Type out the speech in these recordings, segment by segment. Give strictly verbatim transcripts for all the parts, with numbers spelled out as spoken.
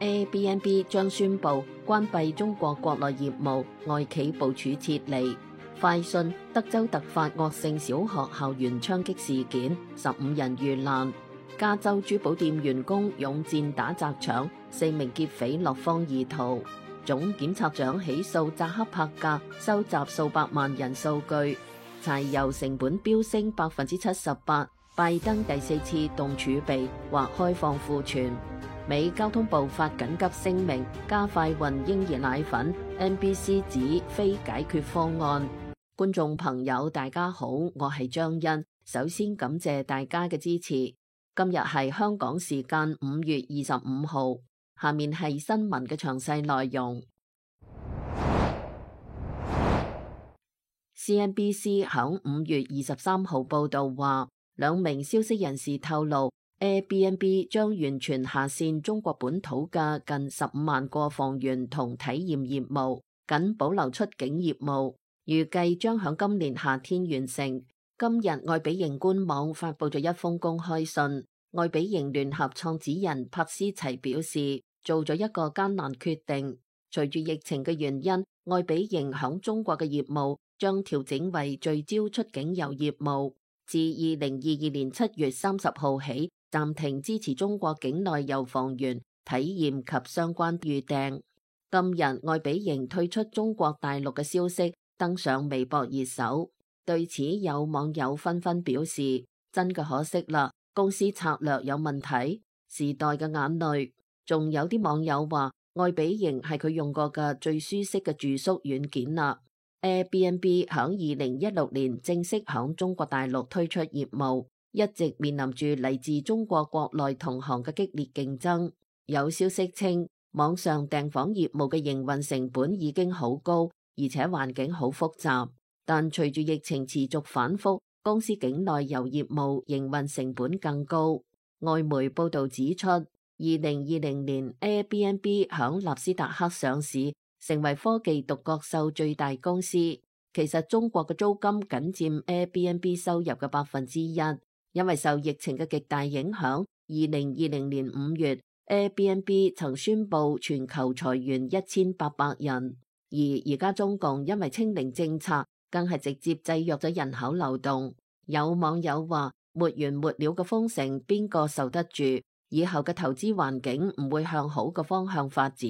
Airbnb 將宣布關閉中國國內業務，外企部署撤離。快訊：德州突發惡性小學校園槍擊事件，十五人遇難。加州珠寶店員工勇戰打砸搶，四名劫匪落荒而逃。總檢察長起訴扎克伯格收集數百萬人數據。柴油成本飆升百分之七十八，拜登第四次動儲備或開放庫存。美交通部發緊急聲明，加快運嬰兒奶粉。N B C 指非解決方案。觀眾朋友大家好，我係張欣，首先感謝大家嘅支持。今日係香港時間五月二十五號，下面係新聞嘅詳細內容。C N B C 響五月二十三號報道話，兩名消息人士透露 ，Airbnb 將完全下線中國本土嘅近十五萬個房源同體驗業務，僅保留出境業務，預計將響今年夏天完成。今日愛彼迎官網發布咗一封公開信，愛彼迎聯合創始人柏斯齊表示，做咗一個艱難決定。隨住疫情嘅原因，愛彼迎響中國嘅業務將調整為聚焦出境遊業務，自二零二二年七月三十號起暫停支持中國境內遊房源體驗及相關預訂。今日愛彼迎退出中國大陸嘅消息登上微博熱搜。對此，有網友紛紛表示：真嘅可惜啦，公司策略有問題。時代嘅眼淚。仲有啲網友話，愛彼迎係佢用過嘅最舒適嘅住宿軟件啦。Airbnb 響二零一六年正式響中國大陸推出業務，一直面臨住嚟自中國國內同行嘅激烈競爭。有消息稱，網上訂房業務嘅營運成本已經好高，而且環境好複雜。但隨住疫情持續反覆，公司境內遊業務營運成本更高。外媒報道指出，二零二零年 Airbnb 響納斯達克上市，成為科技獨角獸最大公司。其實中國嘅租金僅佔 Airbnb 收入嘅百分之一，因為受疫情嘅極大影響，二零二零年五月 Airbnb 曾宣布全球裁員一千八百人，而而家中共因為清零政策，更係直接制約咗人口流動。有網友話，沒完沒了嘅封城，邊個受得住？以後嘅投資環境唔會向好嘅方向發展。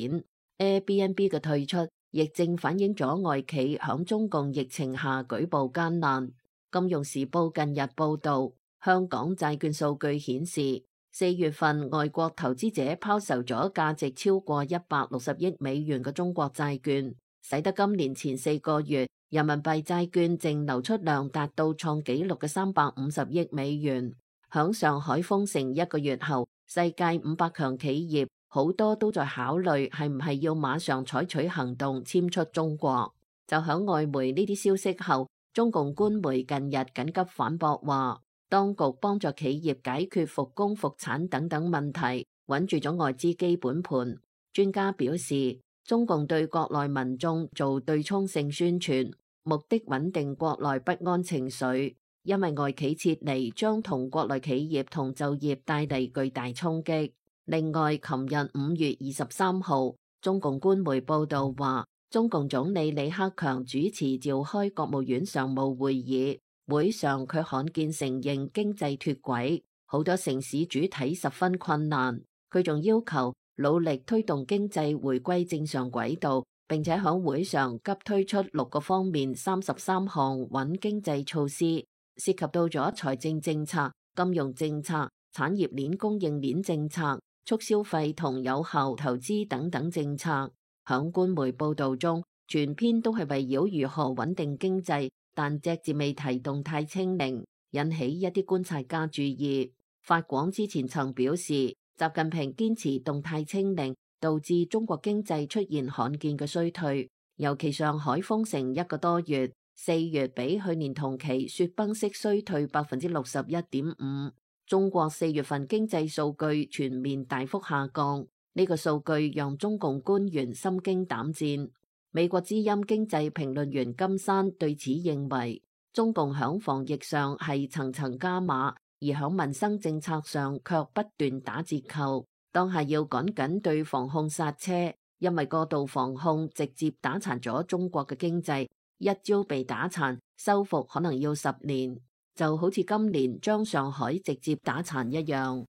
Airbnb 嘅退出，亦正反映咗外企響中共疫情下舉步艱難。金融時報近日報道，香港債券數據顯示，四月份外國投資者拋售咗價值超過一百六十億美元嘅中國債券，使得今年前四個月人民幣債券淨流出量達到創紀錄嘅三百五十億美元。響上海封城一個月後，世界五百強企業好多都在考慮係唔係要馬上採取行動遷出中國。就響外媒呢啲消息後，中共官媒近日緊急反駁話，當局幫助企業解決復工復產等等問題，穩住咗外資基本盤。專家表示，中共對國內民眾做對沖性宣傳，目的穩定國內不安情緒，因為外企撤離將同國內企業同就業帶嚟巨大衝擊。另外，琴日五月二十三號，中共官媒報道話，中共總理李克強主持召開國務院常務會議，會上佢罕見承認經濟脫軌，好多城市主體十分困難。佢仲要求努力推動經濟回歸正常軌道，並且喺會上急推出六個方面三十三項穩經濟措施，涉及到咗財政政策、金融政策、產業鏈供應鏈政策、促消費同有效投資等等政策。響官媒報道中，全篇都係圍繞如何穩定經濟，但隻字未提動態清零，引起一啲觀察家注意。法廣之前曾表示，習近平堅持動態清零，導致中國經濟出現罕見嘅衰退。尤其上海封城一個多月，四月比去年同期雪崩式衰退百分之六十一點五。中國四月份經濟數據全面大幅下降，呢個數據讓中共官員心驚膽戰。美國之音經濟評論員金山對此認為，中共響防疫上係層層加碼，而響民生政策上卻不斷打折扣。當下要趕緊對防控剎車，因為過度防控直接打殘咗中國嘅經濟，一朝被打殘，修復可能要十年，就好似今年將上海直接打殘一樣。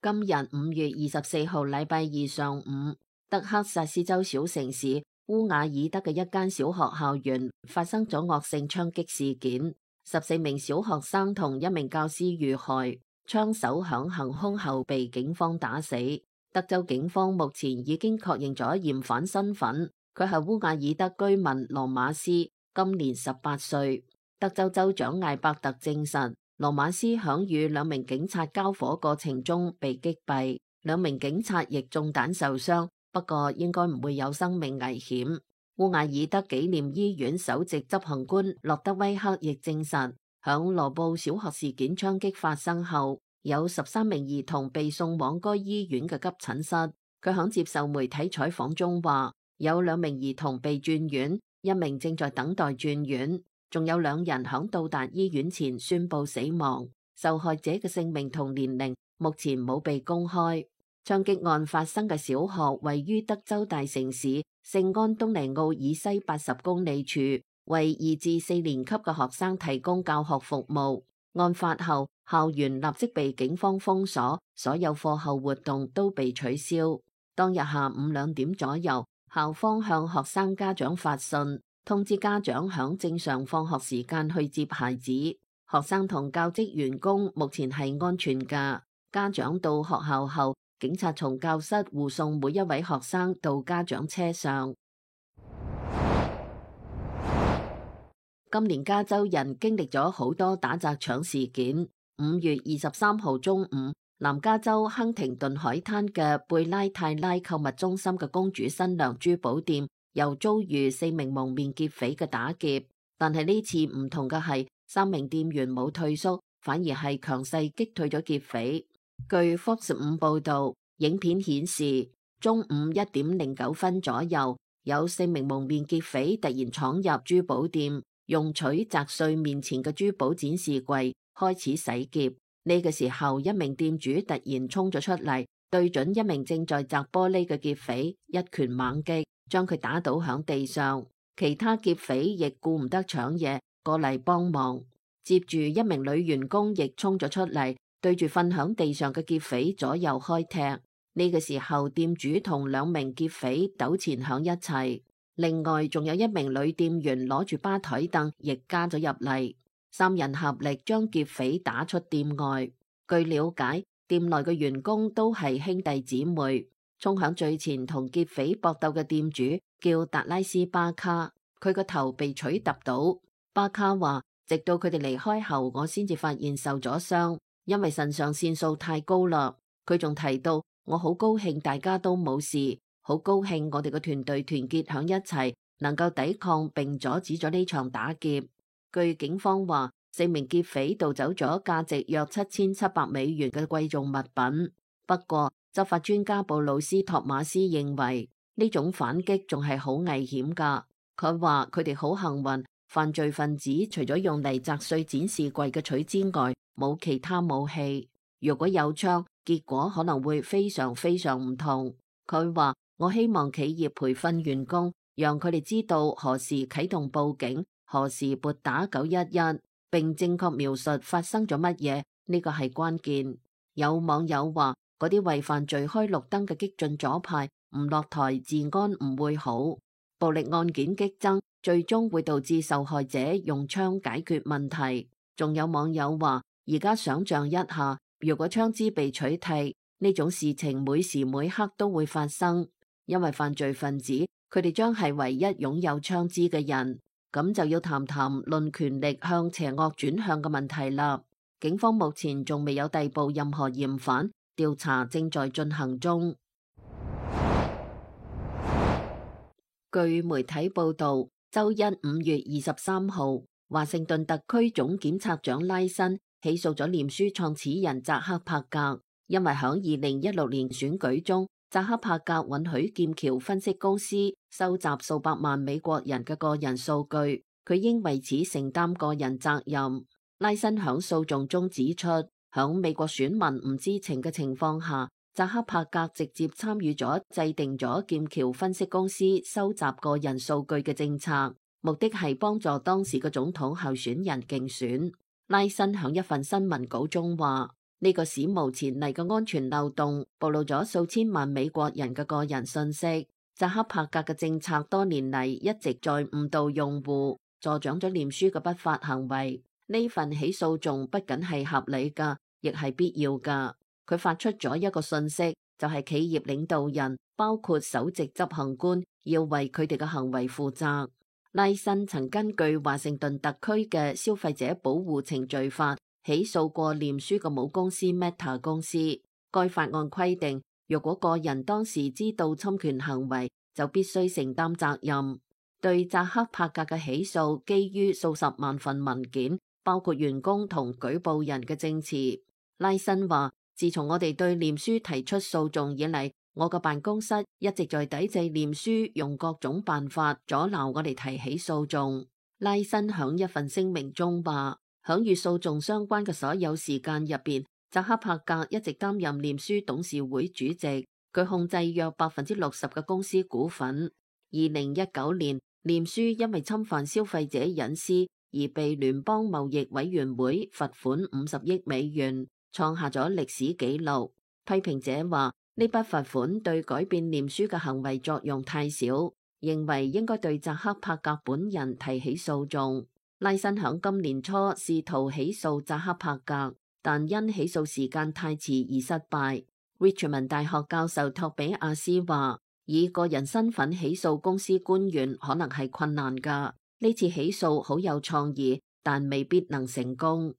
今日五月二十四號禮拜二上午，德克薩斯州小城市烏瓦爾德嘅一間小學校園發生咗惡性槍擊事件，十四名小學生同一名教師遇害，槍手響行兇後被警方打死。德州警方目前已經確認咗嫌犯身份，佢係烏瓦爾德居民羅馬斯，今年十八歲。德州州長艾伯特證實，羅馬斯響與兩名警察交火過程中被擊斃，兩名警察亦中彈受傷，不過應該唔會有生命危險。烏瓦爾德紀念醫院首席執行官洛德威克亦證實，響羅布小學事件槍擊發生後，有十三名兒童被送往該醫院嘅急診室。佢響接受媒體採訪中話，有兩名兒童被轉院，一名正在等待轉院。仲有兩人響到達醫院前宣布死亡，受害者嘅姓名同年齡目前冇被公開。槍擊案發生嘅小學位於德州大城市聖安東尼奧以西八十公里處，為二至四年級嘅學生提供教學服務。案發後，校園立即被警方封鎖，所有課後活動都被取消。當日下午兩點左右，校方向學生家長發信，通知家長響正常放學時間去接孩子。學生同教職員工目前係安全㗎。家長到學校後，警察從教室護送每一位學生到家長車上。今年加州人經歷咗好多打砸搶事件。五月二十三號中午，南加州亨廷頓海灘嘅貝拉泰拉購物中心嘅公主新娘珠寶店又遭遇四名蒙面劫匪嘅打劫，但係呢次唔同嘅係，三名店員冇退縮，反而係強勢擊退咗劫匪。據 Fox 五報道，影片顯示中午一點零九分左右，有四名蒙面劫匪突然闖入珠寶店，用錘砸碎面前嘅珠寶展示櫃，開始洗劫。呢個時候，一名店主突然衝咗出嚟，對準一名正在砸玻璃嘅劫匪一拳猛擊，將佢打倒響地上。其他劫匪亦顧唔得搶嘢，過嚟幫忙。接住一名女員工亦衝咗出嚟，對住瞓響地上嘅劫匪左右開踢。呢個時候，店主同兩名劫匪糾纏響一齊。另外仲有一名女店員攞住吧台凳亦加咗入嚟，三人合力將劫匪打出店外。據了解，店內嘅員工都係兄弟姊妹。衝響最前同劫匪搏鬥嘅店主叫達拉斯巴卡，佢個頭被錘揼到。巴卡話，直到佢哋離開後，我先至發現受咗傷，因為腎上腺素太高啦。佢仲提到，我好高興大家都冇事，好高興我哋個團隊團結響一齊，能夠抵抗並阻止咗呢場打劫。據警方話，四名劫匪盜走咗價值約七千七百美元嘅貴重物品。不過，執法專家布魯斯托馬斯認為呢種反擊仲係好危險㗎。佢話佢哋好幸運，犯罪分子除咗用嚟砸碎展示櫃嘅錘之外，冇其他武器。如果有槍，結果可能會非常非常唔同。佢話，我希望企業培訓員工，讓佢哋知道何時啟動報警，何時撥打九一一，並正確描述發生咗乜嘢，呢個係關鍵。有網友話，嗰啲為犯罪開綠燈嘅激進左派唔落台，治安唔會好。暴力案件激增，最終會導致受害者用槍解決問題。仲有網友話，而家想象一下，如果槍支被取締，呢種事情每時每刻都會發生，因為犯罪分子佢哋將係唯一擁有槍支嘅人。咁就要談談論權力向邪惡轉向嘅問題啦。警方目前仲未有逮捕任何嫌犯，調查正在進行中。據媒體報道，周一五月二十三號，華盛頓特區總檢察長拉辛起訴咗臉書創始人扎克伯格，因為響二零一六年選舉中，扎克伯格允許劍橋分析公司收集數百萬美國人嘅個人數據，佢應為此承擔個人責任。拉辛響訴訟中指出，響美國選民唔知情嘅情況下，扎克伯格直接參與咗制定咗劍橋分析公司收集個人數據嘅政策，目的係幫助當時嘅總統候選人競選。拉辛響一份新聞稿中話：呢個史無前例嘅安全漏洞暴露咗數千萬美國人嘅個人信息。扎克伯格嘅政策多年嚟一直在誤導用戶，助長咗臉書嘅不法行為。呢份起訴仲不僅係合理㗎，亦係必要㗎。佢發出咗一個信息，就係企業領導人，包括首席執行官，要為佢哋嘅行為負責。拉辛曾根據華盛頓特區嘅消費者保護程序法起訴過臉書嘅母公司 Meta 公司。該法案規定，若果個人當時知道侵權行為，就必須承擔責任。對扎克伯格嘅起訴，基於數十萬份文件，包括員工同舉報人嘅證詞。拉辛話：自從我哋對臉書提出訴訟以嚟，我個辦公室一直在抵制臉書用各種辦法阻撓我哋提起訴訟。拉辛響一份聲明中話：響與訴訟相關嘅所有時間入邊，扎克伯格一直擔任臉書董事會主席，佢控制約百分之六十嘅公司股份。二零一九年，臉書因為侵犯消費者隱私而被聯邦貿易委員會罰款五十億美元，創下咗歷史紀錄。批評者話呢筆罰款對改變臉書嘅行為作用太少，認為應該對扎克伯格本人提起訴訟。拉辛響今年初試圖起訴扎克伯格，但因起訴時間太遲而失敗。Richmond 大學教授托比亞斯話：以個人身份起訴公司官員可能係困難㗎。呢次起訴好有創意，但未必能成功。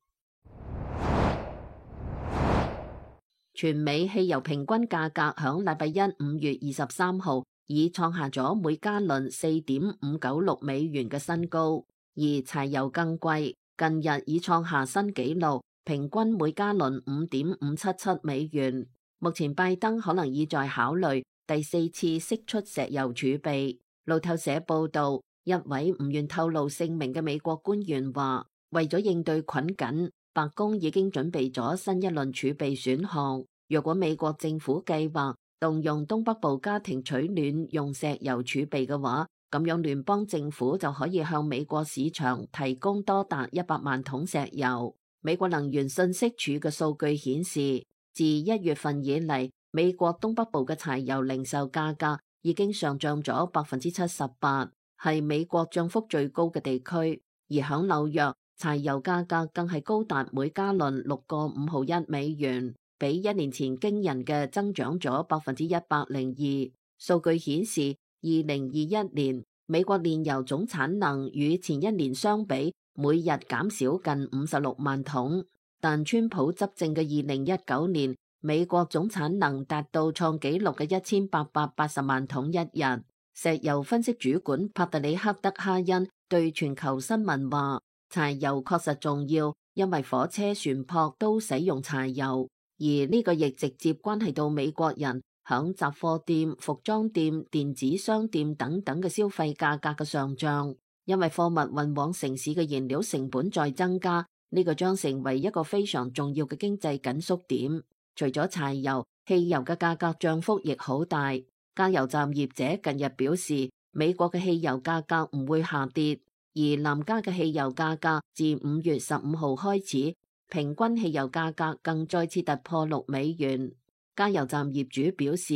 全美汽油平均價格響禮拜一五月二十三號已創下咗每加侖四點五九六美元嘅新高，而柴油更貴，近日已創下新紀錄，平均每加侖五點五七七美元。目前拜登可能已在考慮第四次釋出石油儲備。路透社報道，一位唔願透露姓名嘅美國官員話，為咗應對困緊，白宮已經準備咗新一輪儲備選項。若果美國政府計劃動用東北部家庭取暖用石油儲備嘅話，咁樣聯邦政府就可以向美國市場提供多達一百萬桶石油。美國能源信息署嘅數據顯示，自一月份以嚟，美國東北部嘅柴油零售價格已經上漲咗百分之七十八，係美國漲幅最高嘅地區。而響紐約，柴油價格更係高達每加侖六個五毫一美元，比一年前驚人嘅增長咗百分之一百零二。數據顯示，二零二一年美國煉油總產能與前一年相比，每日減少近五十六萬桶。但川普執政嘅二零一九年，美國總產能達到創紀錄嘅一千八百八十萬桶一日。石油分析主管帕特里克德哈恩對全球新聞話：柴油確實重要，因為火車、船舶都使用柴油，而呢個亦直接關係到美國人響雜貨店、服裝店、電子商店等等嘅消費價格嘅上漲，因為貨物運往城市嘅燃料成本在增加。呢個將成為一個非常重要嘅經濟緊縮點。除咗柴油，汽油嘅價格漲幅亦好大。加油站業者近日表示，美國嘅汽油價格唔會下跌，而南加嘅汽油價格自五月十五號開始，平均汽油價格更再次突破六美元。加油站業主表示，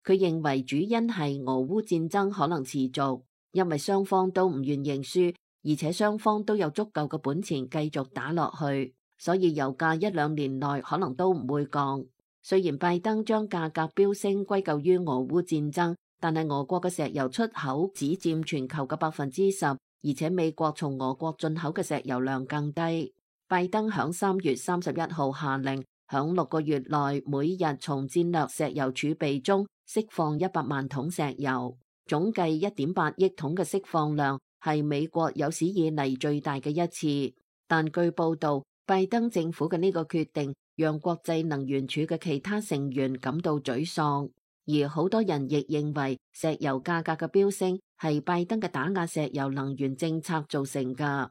佢認為主因係俄烏戰爭可能持續，因為雙方都唔願認輸。而且雙方都有足夠嘅本錢繼續打落去，所以油價一兩年內可能都唔會降。雖然拜登將價格飆升歸咎於俄烏戰爭，但係俄國嘅石油出口只佔全球嘅百分之十，而且美國從俄國進口嘅石油量更低。拜登響三月三十一號下令，響六個月內每日從戰略石油儲備中釋放一百萬桶石油，總計一點八億桶嘅釋放量，係美國有史以嚟最大嘅一次。但據報道，拜登政府嘅呢個決定讓國際能源署嘅其他成員感到沮喪，而好多人亦認為石油價格嘅飆升係拜登嘅打壓石油能源政策造成㗎。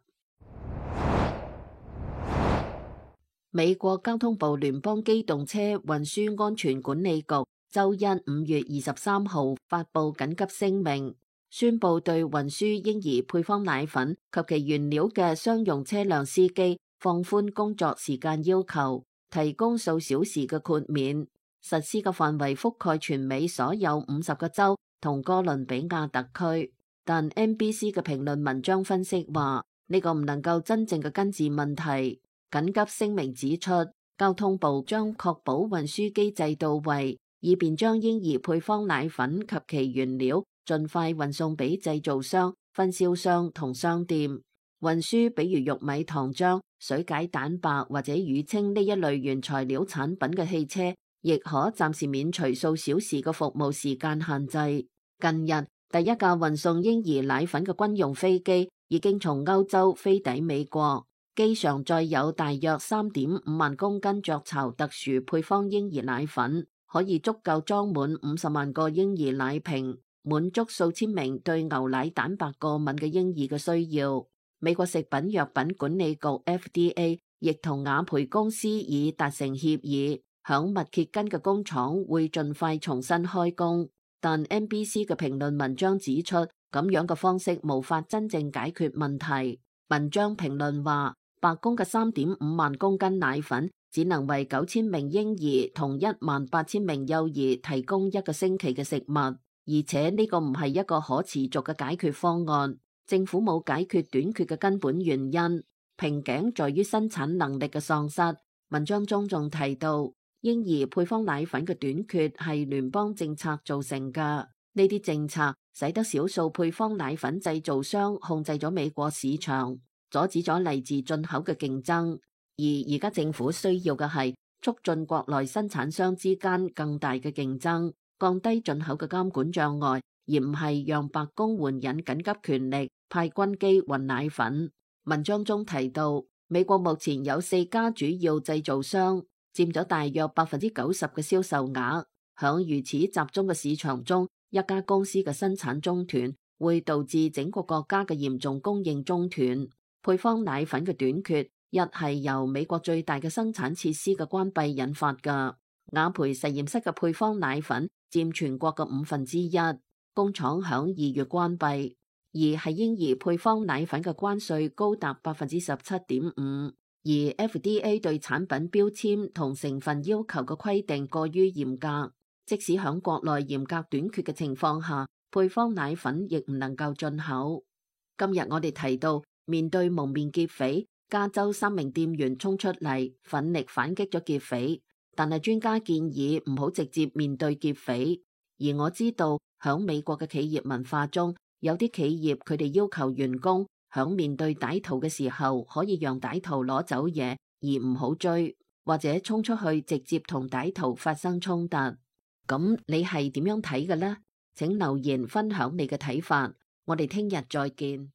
美國交通部聯邦機動車運輸安全管理局周一五月二十三號發布緊急聲明，宣布對運輸嬰兒配方奶粉及其原料嘅商用車輛司機放寬工作時間要求，提供數小時嘅豁免。實施嘅範圍覆蓋全美所有五十個州同哥倫比亞特區。但 N B C 嘅評論文章分析話，呢個唔能夠真正嘅根治問題。緊急聲明指出，交通部將確保運輸機制到位，以便將嬰兒配方奶粉及其原料盡快運送俾製造商、分銷商同商店。運輸比如玉米、糖漿、水解蛋白或者乳清呢一類原材料產品嘅汽車，亦可暫時免除數小時嘅服務時間限制。近日，第一架運送嬰兒奶粉嘅軍用飛機已經從歐洲飛抵美國。機上載有大約三點五萬公斤雀巢特殊配方嬰兒奶粉，可以足夠裝滿五十萬個嬰兒奶瓶，滿足數千名對牛奶蛋白過敏嘅嬰兒嘅需要。美國食品藥品管理局 F D A 亦同雅培公司已達成協議，響密歇根嘅工廠會盡快重新開工。但 N B C 嘅評論文章指出，咁樣嘅方式無法真正解決問題。文章評論話，白宮嘅三點五萬公斤奶粉只能為九千名嬰兒同一萬八千名幼兒提供一個星期嘅食物，而且呢個唔係一個可持續嘅解決方案。政府冇解決短缺嘅根本原因，瓶頸在於生產能力嘅喪失。文章中仲提到，嬰兒配方奶粉嘅短缺係聯邦政策造成嘅，呢啲政策使得少數配方奶粉製造商控制咗美國市場，阻止咗嚟自進口嘅競爭，而而家政府需要嘅係促進國內生產商之間更大嘅競爭，降低進口嘅監管障礙，而唔係讓白宮援引緊急權力派軍機運奶粉。文章中提到，美國目前有四家主要製造商，佔咗大約百分之九十嘅銷售額。響如此集中嘅市場中，一家公司嘅生產中斷會導致整個國家嘅嚴重供應中斷。配方奶粉嘅短缺，一係由美國最大嘅生產設施嘅關閉引發㗎。雅培實驗室嘅配方奶粉佔全國嘅五分之一，工廠響二月關閉。而係嬰兒配方奶粉嘅關稅高達百分之十七點五，而 F D A 對產品標籤同成分要求嘅規定過於嚴格，即使響國內嚴格短缺嘅情況下，配方奶粉亦唔能夠進口。今日我哋提到，面對蒙面劫匪，加州三名店員衝出嚟，奮力反擊咗劫匪。但係專家建議唔好直接面對劫匪。而我知道響美國嘅企業文化中，有啲企業佢哋要求員工響面對歹徒嘅時候，可以讓歹徒攞走嘢，而唔好追，或者衝出去直接同歹徒發生衝突。咁你係點樣睇嘅呢？請留言分享你嘅睇法。我哋聽日再見。